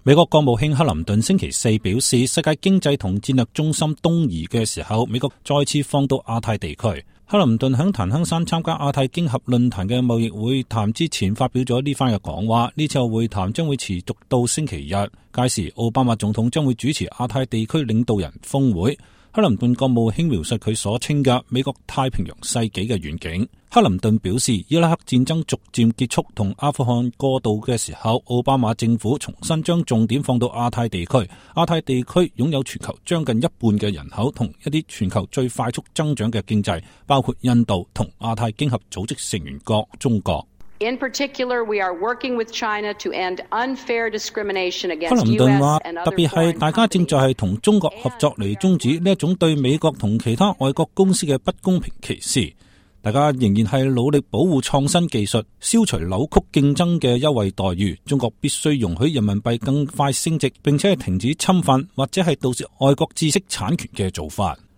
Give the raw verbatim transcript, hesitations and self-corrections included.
美國國務卿克林頓星期四表示，世界經濟同戰略中心東移嘅時候，美國再次放到亞太地區。克林頓喺檀香山參加亞太經合論壇嘅貿易會談之前發表咗呢番嘅講話，呢次會談將會持續到星期日，屆時奧巴馬總統將會主持亞太地區領導人峰會。克林頓國務卿描述佢所稱嘅美國太平洋世紀嘅願景。克林頓表示，伊拉克戰爭逐漸結束同阿富汗過渡嘅時候，奧巴馬政府重新將重點放到亞太地區。亞太地區擁有全球將近一半嘅人口同一啲全球最快速增長嘅經濟，包括印度同亞太經合組織成員國中國。In particular, we are working with China to end unfair discrimination against 克林頓話 U S and other 特別係大家正在係同中國合作嚟終止呢一種對美國同其他外國公司嘅不公平歧視。大家仍然係努力保護創新技術，消除扭曲競爭嘅優惠待遇。中國必須容許人民幣更快升值，並且係停止侵犯或者係導致外國知識產權嘅做法。